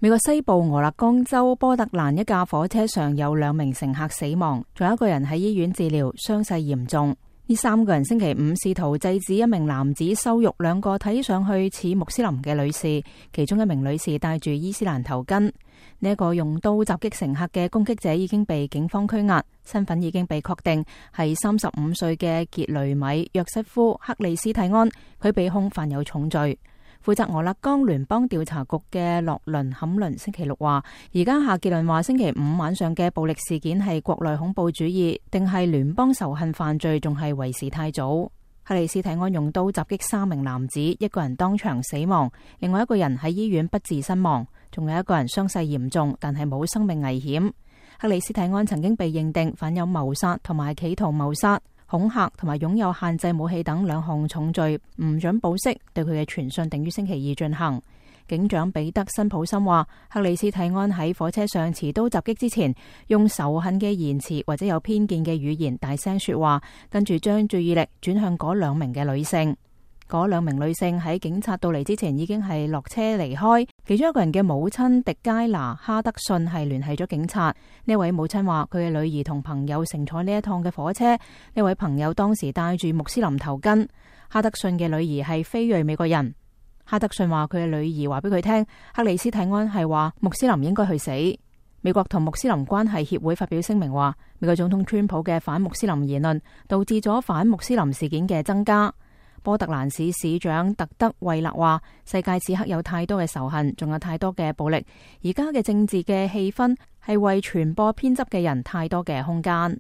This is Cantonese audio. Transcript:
美國西部俄勒岡州波特蘭一架火車上有2名乘客死亡，仲有1個人喺醫院治療，傷勢嚴重。呢3個人星期五試圖制止一名男子羞辱2個睇上去似穆斯林嘅女士，其中1名女士戴住伊斯蘭頭巾。呢一個用刀襲擊乘客嘅攻擊者已經被警方拘押，身份已經被確定係35歲嘅傑雷米約瑟夫克里斯蒂安，佢被控犯有重罪。負責俄勒岡聯邦調查局嘅洛倫坎倫星期六話，而家下結論話星期五晚上嘅暴力事件係國內恐怖主義定係聯邦仇恨犯罪，仲係為時太早。克里斯蒂安用刀襲擊3名男子，1個人當場死亡，另外1個人喺醫院不治身亡，仲有1個人傷勢嚴重，但係冇生命危險。克里斯蒂安曾經被認定犯有謀殺同埋企圖謀殺、恐嚇同埋擁有限制武器等2項重罪，唔准保釋，對佢嘅傳訊定於星期2進行。警長彼得辛普森話，克里斯蒂安喺火車上持刀襲擊之前，用仇恨嘅言辭或者有偏見嘅語言大聲說話，跟住將注意力轉向嗰2名嘅女性。嗰2名女性喺警察到嚟之前已經係落車離開，其中1個人嘅母親迪佳娜哈德遜係聯繫咗警察。呢位母親話，佢嘅女兒同朋友乘坐呢一趟嘅火車，呢位朋友當時戴住穆斯林頭巾。哈德遜嘅女兒係非裔美國人。哈德遜話，佢嘅女兒話俾佢聽，克里斯蒂安係話穆斯林應該去死。美國同穆斯林關係協會發表聲明話，美國總統川普嘅反穆斯林言論導致咗反穆斯林事件嘅增加。波特蘭市市長特德惠勒話，世界此刻有太多嘅仇恨，仲有太多嘅暴力，而家嘅政治嘅氣氛係為傳播偏執嘅人太多嘅空間。